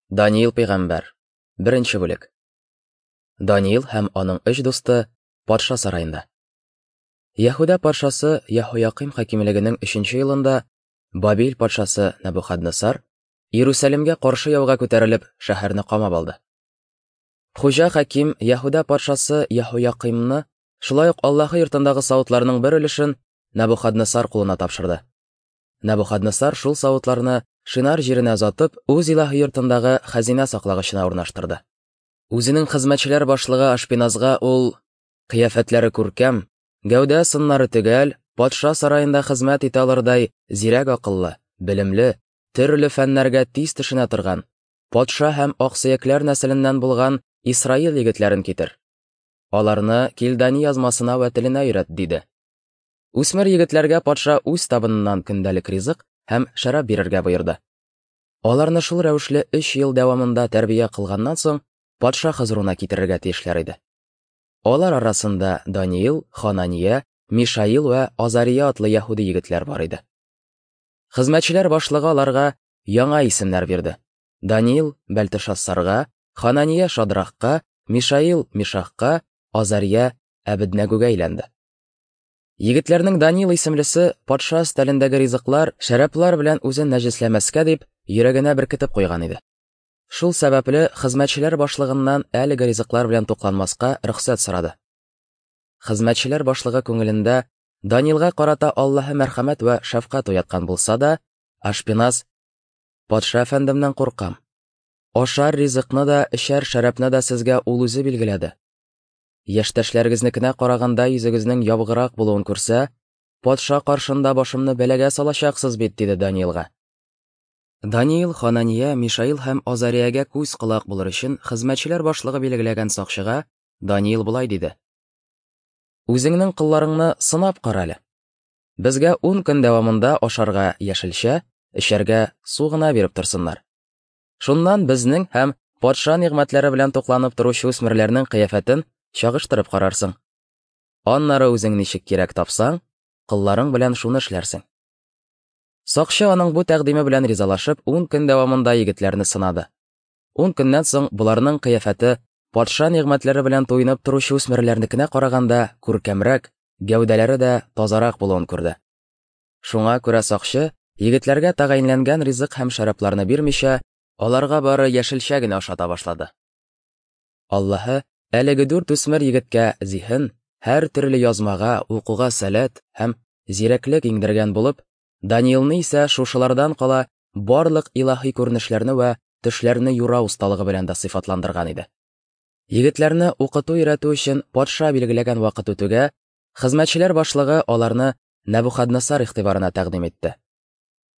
Даниил пәйгамбәр. Беренче бүлек. Даниил һәм аның өч дусты патша сараенда. Яһүдә патшасы Яһоякыйм хакимлегенең өченче елында Бабил патшасы Нәбухаднасар Иерусалимгә каршы яуга күтәрелеп, шәһәрне камап алды. Хуҗа хаким Яһүдә патшасы Яһоякыймны, шулай ук Аллаһы йортындагы савытларның бер өлешен Нәбухаднасар кулына тапшырды. Нәбухаднасар шул савытларны Шинар җиренә озатып, үз илаһи йортындагы хәзинә саклагычына урнаштырды. Үзенең хезмәтчеләр башлыгы Ашпиназга ул кыяфәтләре күркәм, гәүдә сыннары төгәл, патша сараенда хезмәт итә алырдай зирәк акыллы, белемле, төрле фәннәргә тиз төшенә торган, патша һәм аксөякләр нәселеннән булган Исраил егетләрен китер. Аларны Килдани язмасына вә теленә өйрәт, диде. Үсмер егетләргә патша үз табыныннан көндәлек ризык һәм шәраб бирергә боерды. Аларны шул рәвешле өч ел дәвамында тәрбия кылганнан соң, патша хозурына китерергә тиешләр иде. Алар арасында Даниил, Ханания, Мишаил вә Азария атлы яһүди егетләр бар иде. Хезмәтчеләр башлыгы аларга яңа исемнәр бирде. Даниил Бәлтешассарга, Ханания Шадрахка, Мишаил Мишахка, Азария Әбеднәгүгә әйләнде. Егетләрнең Даниил исемлесе патша өстәлендәге ризыклар, шәраблар белән үзен нәҗесләмәскә дип, йөрәгенә беркетеп куйган иде. Шул сәбәпле хезмәтчеләр башлыгыннан әлеге ризыклар белән тукланмаска рөхсәт сорады. Хезмәтчеләр башлыгы күңелендә Даниилга карата Аллаһы мәрхәмәт вә шәфкать уяткан булса да, Ашпиназ Патша әфәндемнән куркам. Ашар ризыкны да, эчәр шәрабны да сезгә ул үзе билгеләде. Яшьтәшләрегезнекенә караганда йөзегезнең ябыграк булуын күрсә, патша каршында башымны бәлагә салачаксыз бит, диде Даниилга. Даниил, Ханания, Мишаил һәм Азариягә күз-колак булыр өчен хезмәтчеләр башлыгы билгеләгән сакчыга Даниил болай диде: Үзеңнең колларыңны сынап кара әле. Безгә 10 көн дәвамында ашарга яшелчә, эчәргә су гына биреп торсыннар. Шуннан безнең һәм патша нигъмәтләре белән тукланып торучы үсмерләрнең кыяфәтен чагыштырып карарсың. Аннары үзең ничек кирәк тапсаң, колларың белән шуны эшләрсең. Сакчы аның бу тәкъдиме белән ризалашып, 10 көн дәвамында егетләрне сынады. 10 көннән соң боларның кыяфәте патша нигъмәтләре белән туенып торучы үсмерләрнекенә караганда күркәмрәк, гәүдәләре дә тазарак булуын күрде. Шуңа күрә сакчы, егетләргә тәгаенләнгән ризык һәм шәрабларны бирмичә, аларга бары яшелчә генә ашата башлады. Аллаһы әлеге дүрт үсмер егеткә зиһен, һәр төрле язмага, укуга сәләт һәм зирәклек иңдергән булып, Даниилны исә шушылардан кала барлык илаһи күренешләрне вә төшләрне юрау осталыгы белән дә сыйфатландырган иде. Егетләрне укыту-өйрәтү өчен патша билгеләгән вакыт үтүгә, хезмәтчеләр башлыгы аларны Нәбухаднасар игътибарына тәкъдим итте.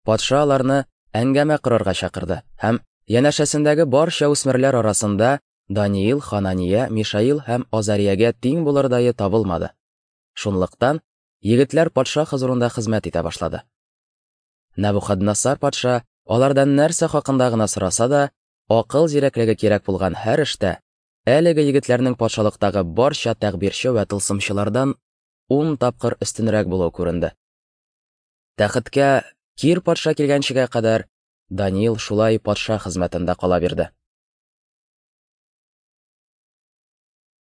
Патша аларны әңгәмә корырга чакырды һәм янәшәсендәге барча үсмерләр арасында Даниил, Ханания, Мишаил һәм Азариягә тиң булырдае табылмады. Шунлыктан егетләр патша хозурында хезмәт итә башлады. Нәбухаднасар патша алардан нәрсә хакында гына сораса да, акыл зирәклеге кирәк булган һәр эштә әлеге егетләрнең патшалыктагы барча тәгъбирче вә тылсымчылардан 10 тапкыр өстенрәк булуы күренде. Тәхеткә Кир патша килгәнчегә кадәр Даниил шулай патша хезмәтендә кала бирде.